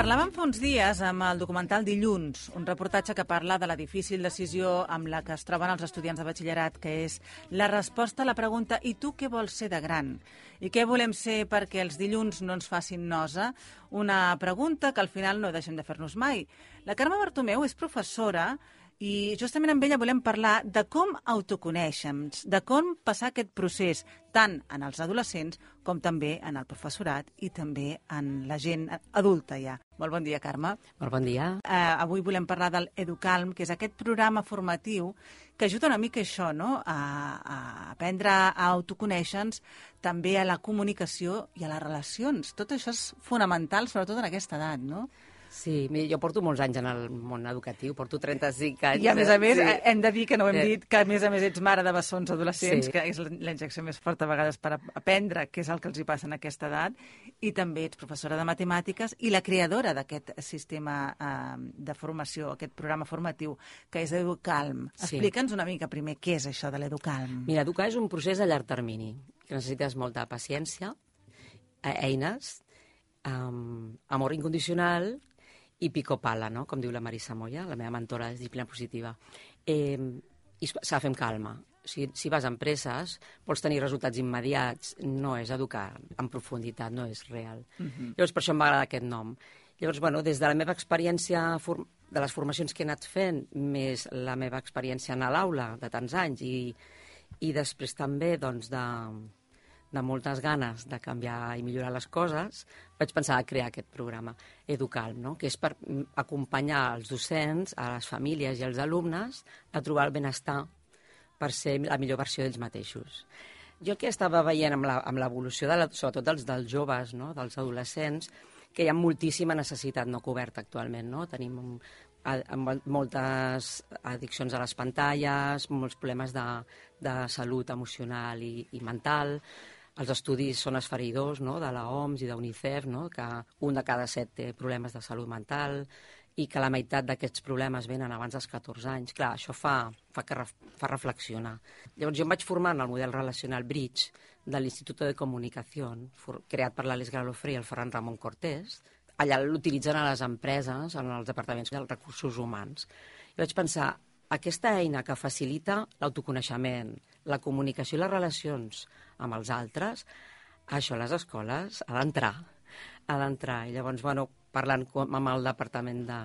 Parlàvem fa uns dies amb el documental Dilluns, un reportatge que parla de la difícil decisió amb la que es troben els estudiants de batxillerat, que és la resposta a la pregunta «I tu què vols ser de gran?» I què volem ser perquè els dilluns no ens facin nosa? Una pregunta que al final no deixem de fer-nos mai. La Carme Bartomeu és professora i justament amb ella volem parlar de com autoconèixer-nos, de com passar aquest procés tant en els adolescents com també en el professorat i també en la gent adulta ja. Molt bon dia, Carme. Molt bon dia. Avui volem parlar del Educalm, que és aquest programa formatiu que ajuda una mica a això, no? A aprendre a autoconèixer-nos, també a la comunicació i a les relacions. Tot això és fonamental, sobretot en aquesta edat, no? Sí, jo porto molts anys en el món educatiu, porto 35 anys. I a més, hem de dir que no ho hem dit, que a més ets mare de bessons adolescents, que és la injecció més forta a vegades per aprendre què és el que els hi passa en aquesta edat, i també ets professora de matemàtiques i la creadora d'aquest sistema de formació, aquest programa formatiu, que és Educalm. Explica'ns una mica primer què és això de l'Educalm. Mira, educar és un procés a llarg termini, que necessites molta paciència, eines, amor incondicional i pico pala, no? Com diu la Marisa Moya, la meva mentora de disciplina positiva. I s'ha de fer amb calma. Si vas amb presses, vols tenir resultats immediats, no és educar en profunditat, no és real. Llavors, per això em va agradar aquest nom. Llavors, des de la meva experiència, de les formacions que he anat fent, més la meva experiència a l'aula de tants anys i després també, de moltes ganes de canviar i millorar les coses, vaig pensar a crear aquest programa Educalm, no? Que és per acompanyar els docents, a les famílies i als alumnes a trobar el benestar per ser la millor versió d'ells mateixos. Jo que estava veient amb l'evolució, sobretot dels joves, no? Dels adolescents, que hi ha moltíssima necessitat no coberta actualment, no? Tenim moltes addiccions a les pantalles, molts problemes de salut emocional i mental. Els estudis són esfereïdors, no?, de l'OMS i d'UNICEF, no?, que un de cada 7 té problemes de salut mental i que la meitat d'aquests problemes venen abans dels 14 anys. Clar, això fa reflexionar. Llavors jo em vaig formar en el model relacional Bridge de l'Institut de Comunicació, creat per l'Àlex Galofré i el Ferran Ramon Cortés. Allà l'utilitzen a les empreses, en els departaments dels recursos humans. I vaig pensar, aquesta eina que facilita l'autoconeixement, la comunicació i les relacions amb els altres, això a les escoles ha d'entrar. I llavors, parlant amb el departament de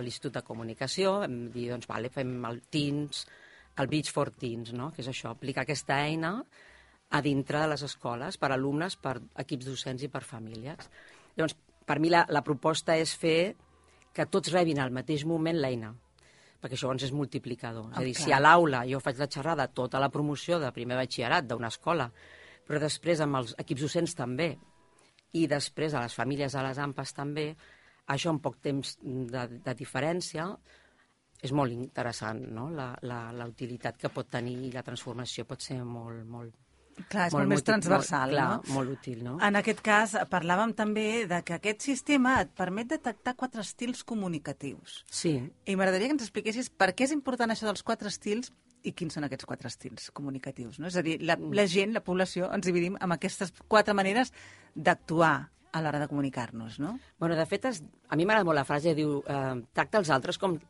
l'Institut de Comunicació, vam dir, fem el Teens, el Bridge for Teens, no? Que és això, aplicar aquesta eina a dintre de les escoles, per alumnes, per equips docents i per famílies. Llavors, per mi la proposta és fer que tots rebin al mateix moment l'eina, perquè això és multiplicador. És a dir, si a l'aula jo faig la xerrada, tota la promoció de primer batxillerat d'una escola, però després amb els equips docents també, i després a les famílies, a les AMPAs també, això en poc temps de diferència és molt interessant, no? La utilitat que pot tenir i la transformació pot ser molt... Clar, és molt més transversal, no? Molt útil, no? En aquest cas, parlàvem també de que aquest sistema et permet detectar 4 estils comunicatius. Sí. I m'agradaria que ens expliquessis per què és important això dels 4 estils i quins són aquests 4 estils comunicatius, no? És a dir, la gent, la població, ens dividim amb aquestes 4 maneres d'actuar a l'hora de comunicar-nos, no? De fet, a mi m'agrada molt la frase, diu, tracta els altres com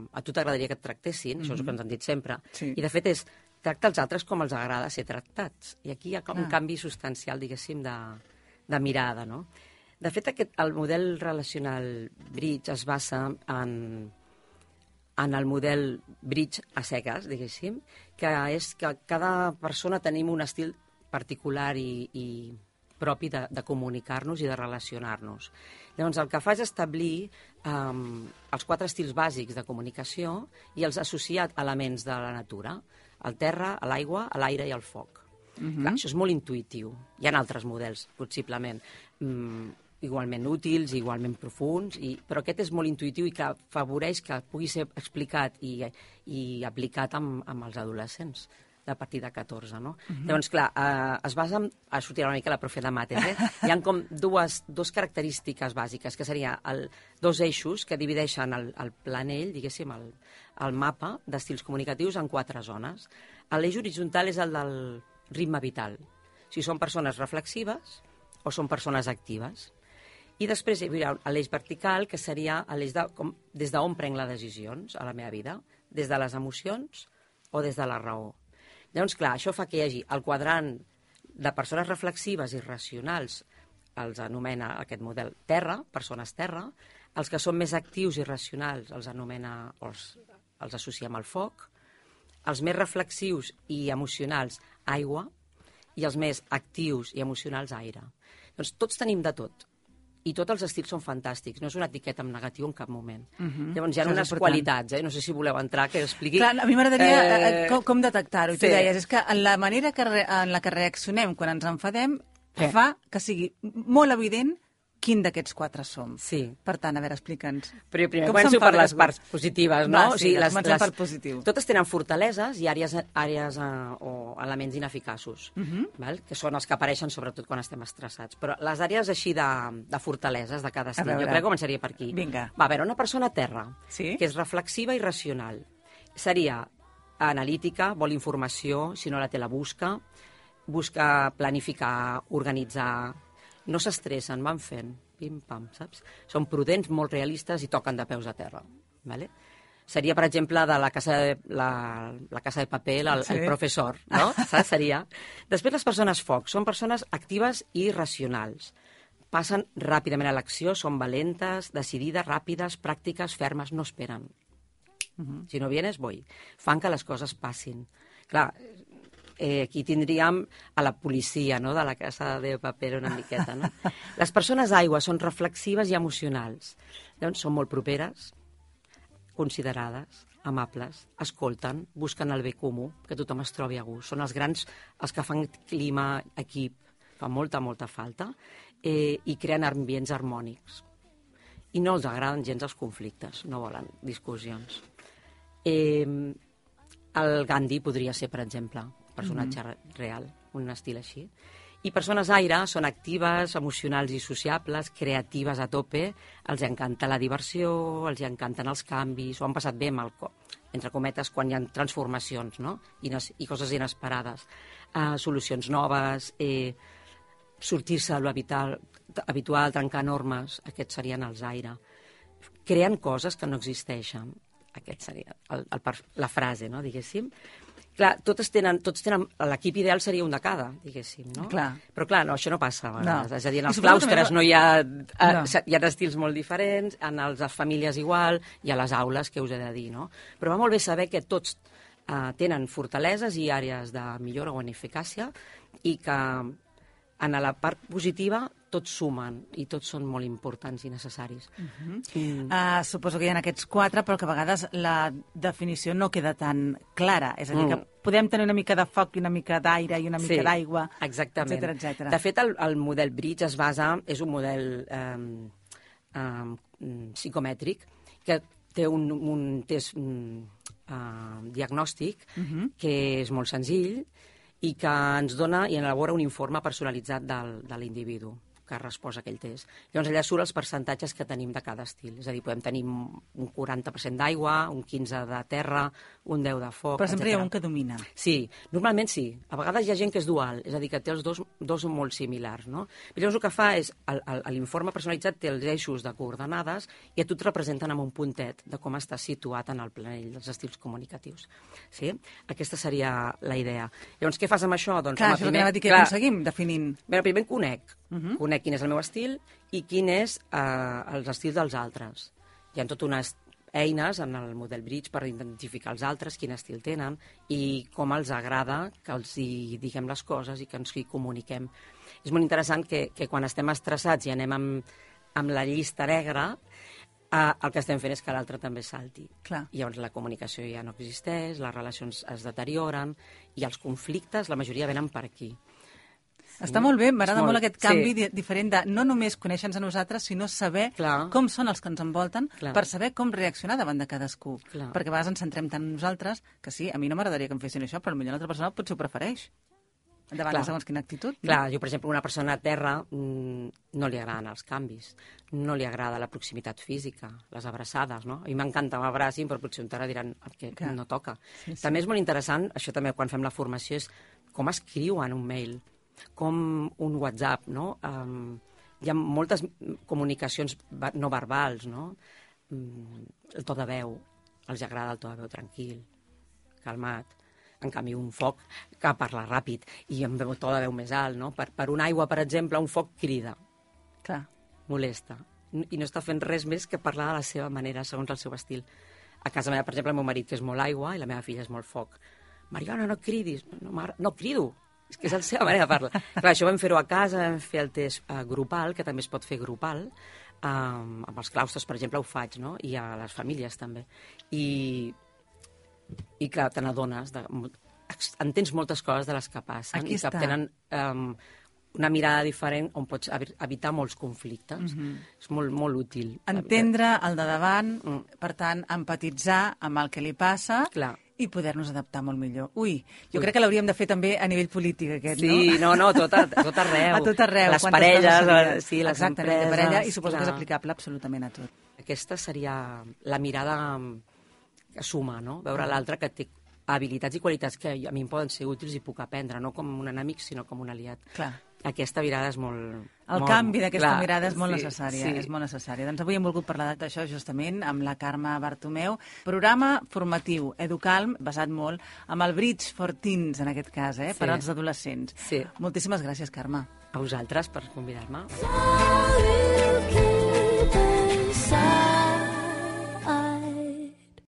a tu t'agradaria que et tractessin, això és el que ens han dit sempre, i de fet és tracta els altres com els agrada ser tractats. I aquí hi ha un canvi substancial, diguéssim, de mirada, no? De fet, el model relacional Bridge es basa en el model Bridge a cegues, diguéssim, que és que cada persona tenim un estil particular i propi de comunicar-nos i de relacionar-nos. Llavors, el que fa és establir els 4 estils bàsics de comunicació i els associat elements de la natura, el terra, l'aigua, l'aire i el foc. Clar, això és molt intuïtiu. Hi ha altres models, possiblement, igualment útils, igualment profuns, però aquest és molt intuïtiu i que afavoreix que pugui ser explicat i aplicat amb els adolescents a partir de 14, no? Llavors, clar, es basa en... Ara sortirà una mica la profe de mates, Hi ha com dues característiques bàsiques, que serien 2 eixos que divideixen el planell, diguéssim, el mapa d'estils comunicatius en 4 zones. L'eix horitzontal és el del ritme vital. Si són persones reflexives o són persones actives. I després hi hauria l'eix vertical, que seria l'eix des d'on prenc les decisions a la meva vida, des de les emocions o des de la raó. Llavors, clar, això fa que hi hagi el quadrant de persones reflexives i racionals, els anomena aquest model terra, persones terra, els que són més actius i racionals els anomena, els associem al foc, els més reflexius i emocionals, aigua, i els més actius i emocionals, aire. Doncs tots tenim de tot. I tots els estils són fantàstics, no és una etiqueta en negatiu en cap moment. Llavors hi ha unes qualitats, no sé si voleu entrar, que expliqui... Clar, a mi m'agradaria com detectar-ho. Tu deies, és que la manera en la que reaccionem quan ens enfadem fa que sigui molt evident quin d'aquests 4 som. Sí. Per tant, a veure, explica'ns. Però primer començo per les parts positives, no? Va, sí, comencem per positiu. Totes tenen fortaleses i àrees o elements ineficaços, que són els que apareixen sobretot quan estem estressats. Però les àrees així de fortaleses de cada estil, jo crec que començaria per aquí. Vinga. Va, a veure, una persona terra, sí? que és reflexiva i racional. Seria analítica, vol informació, si no la té la busca planificar, organitzar... No s'estressen, van fent, pim-pam, saps? Són prudents, molt realistes i toquen de peus a terra. Vale? Seria, per exemple, de la Casa de Paper, el professor, no? Saps? Seria. Després, les persones foc són persones actives i racionals. Passen ràpidament a l'acció, són valentes, decidides, ràpides, pràctiques, fermes, no esperen. Si no vienes, voy. Fan que les coses passin. Clar, aquí tindríem a la policia, no?, de la Casa de Paper una miqueta, no? Les persones aigua són reflexives i emocionals. Llavors, són molt properes, considerades, amables, escolten, busquen el bé comú, que tothom es trobi a gust. Són els grans, els que fan clima, equip, fa molta, molta falta, i creen ambients harmònics. I no els agraden gens els conflictes, no volen discussions. El Gandhi podria ser, per exemple, personatge real, un estil així. I persones aire són actives, emocionals i sociables, creatives a tope, els encanta la diversió, els encanten els canvis, ho han passat bé amb entre cometes, quan hi ha transformacions, no? I coses inesperades. Solucions noves, sortir-se de l'habitual, trencar normes, aquests serien els aire. Creen coses que no existeixen. Aquest seria la frase, no?, diguéssim. Clar, tots tenen, l'equip ideal seria un de cada, diguéssim, no? Clar. Però clar, no, això no passa a vegades. No. És a dir, en els claustres no hi ha... Hi ha estils molt diferents, en les famílies igual, i a les aules, què us he de dir, no? Però va molt bé saber que tots tenen fortaleses i àrees de millora o en eficàcia, i que en la part positiva tots sumen i tots són molt importants i necessaris. Suposo que hi ha aquests 4, però que a vegades la definició no queda tan clara. És a dir, que podem tenir una mica de foc i una mica d'aire i una mica d'aigua, etcètera. De fet, el model Bridge és un model psicomètric que té un test diagnòstic que és molt senzill i que ens dona i elabora un informe personalitzat de l'individu que ha respost a aquell test. Llavors, allà surt els percentatges que tenim de cada estil. És a dir, podem tenir un 40% d'aigua, un 15% de terra, un 10% de foc, Però sempre hi ha un que domina. Sí, normalment sí. A vegades hi ha gent que és dual, és a dir, que té els dos molt similars, no? I llavors el que fa és, l'informe personalitzat té els eixos de coordenades i a tu et representen amb un puntet de com estàs situat en el planell dels estils comunicatius. Sí? Aquesta seria la idea. Llavors, què fas amb això? Doncs, clar, això és el que anava a dir, que aconseguim definint. Bé, primer conec quin és el meu estil i quin és els estils dels altres. Hi ha tot unes eines en el model Bridge per identificar els altres, quin estil tenen i com els agrada que els hi diguem les coses i que ens hi comuniquem. És molt interessant que quan estem estressats i anem amb la llista negra, el que estem fent és que l'altre també salti. Clar. I llavors la comunicació ja no existeix, les relacions es deterioren i els conflictes, la majoria venen per aquí. Està molt bé, m'agrada molt aquest canvi diferent de no només conèixer-nos a nosaltres, sinó saber com són els que ens envolten per saber com reaccionar davant de cadascú. Perquè a vegades ens centrem tant en nosaltres que sí, a mi no m'agradaria que em fessin això, però potser l'altra persona potser ho prefereix. Davant de segons quina actitud. Clar, jo, per exemple, una persona a terra no li agraden els canvis, no li agrada la proximitat física, les abraçades, no? A mi m'encanta que m'abracin, però potser un terra diran que no toca. També és molt interessant, això també quan fem la formació, és com escriuen un mail, com un WhatsApp, no? hi ha moltes comunicacions no verbals, no? El to de veu, els agrada el to de veu tranquil, calmat. En canvi, un foc que parla ràpid i amb to de veu més alt, no? Per una aigua, per exemple, un foc crida. Clar. Molesta. I no està fent res més que parlar de la seva manera, segons el seu estil. A casa meva, per exemple, el meu marit, que és molt aigua, i la meva filla és molt foc. Mariona, no cridis. No crido. És que és la seva manera de parlar. Clar, això vam fer-ho a casa, vam fer el test grupal, que també es pot fer grupal. Amb els claustres, per exemple, ho faig, no? I a les famílies, també. I clar, te n'adones, entens moltes coses de les que passen i que tenen una mirada diferent on pots evitar molts conflictes. És molt, molt útil. Entendre el de davant, per tant, empatitzar amb el que li passa i poder-nos adaptar molt millor. Jo crec que l'hauríem de fer també a nivell polític, aquest, no? Sí, no, tot arreu. A tot arreu. Les parelles, sí, les empreses. De parella, i suposo que és aplicable absolutament a tot. Aquesta seria la mirada que suma, no? Veure l'altre que té habilitats i qualitats que a mi em poden ser útils i puc aprendre, no com un enemic, sinó com un aliat. Clar. Aquesta mirada és molt... El canvi d'aquesta mirada és molt necessària. És molt necessària. Doncs avui hem volgut parlar d'això justament amb la Carme Bartomeu. Programa formatiu, Educalm, basat molt amb el Bridge for Teens, en aquest cas, per als adolescents. Sí. Moltíssimes gràcies, Carme. A vosaltres per convidar-me.